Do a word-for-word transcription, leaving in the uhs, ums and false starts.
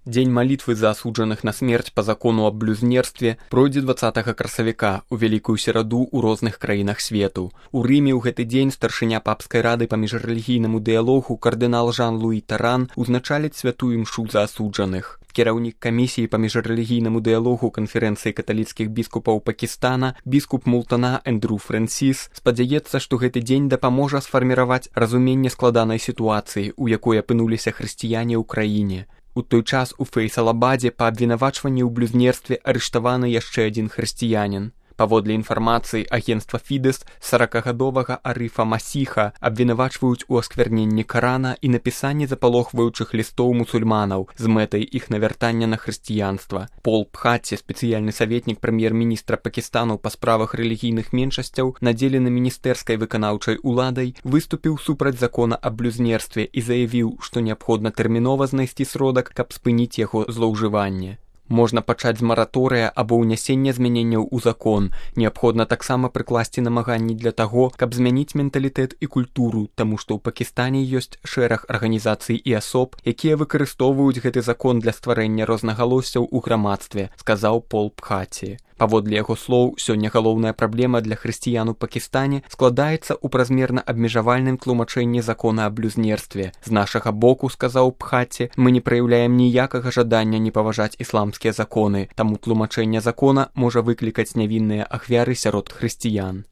Дзень малітвы за асуджаных на смерць па закону аб блюзнерстве пройдзе дваццатага красавіка у вялікую сераду ў розных краінах свету. У Рыме ў гэты дзень старшыня папскай рады па міжрэлігійнаму дыялогу кардынал Жан-Луі Таран узначаліць святую імшу за асуджаных. Кіраўнік камісіі па міжрэлігійнаму дыялогу канферэнцыі каталіцкіх біскупаў Пакістана, біскуп Мултана Эндрю Фрэнсіс, спадзяецца, што гэты дзень дапаможа сфарміраваць разуменне складанай сітуацыі, у якой апынуліся хрысціяне ў краіне. У той час у Фейсалабадзе па абвінавачванні ў блюзнерстве арыштаваны яшчэ адзін хрысціянін. Паводле інфармацыі агенцтва Фідэс, саракагадовага Арыфа Масіха абвінавачваюць у аскверненні Карана і напісанні запалохваючых лістоў мусульманаў з мэтай іх навяртання на хрысціянства. Пол Пхаці, спецыяльны саветнік прэм'ер-міністра Пакістану па справах рэлігійных меншасцяў, надзелены міністэрскай выканаўчай уладай, выступіў супраць закона аб блюзнерстве і заявіў, што неабходна тэрмінова знайсці сродак, каб спыніць яго злоўжыванне. Можна пачаць з мараторыя або ўнясення змяненняў у закон. Неабходна таксама прыкласці намаганні для таго, каб змяніць менталітэт і культуру, таму што ў Пакістане ёсць шэраг арганізацый і асоб, якія выкарыстоўваюць гэты закон для стварэння рознагалоссяў у грамадстве, сказаў Пол Пхаці. Паводле яго слоў, сёння галоўная праблема для хрысціян у Пакістане складаецца ў празмерна абмежавальным тлумачэнні закона аб блюзнерстве. З нашага боку, сказаў Пхаці, мы не праяўляем ніякага жадання не паважаць ісламскія законы, таму тлумачэнне закона можа выклікаць нявінныя ахвяры сярод хрысціян.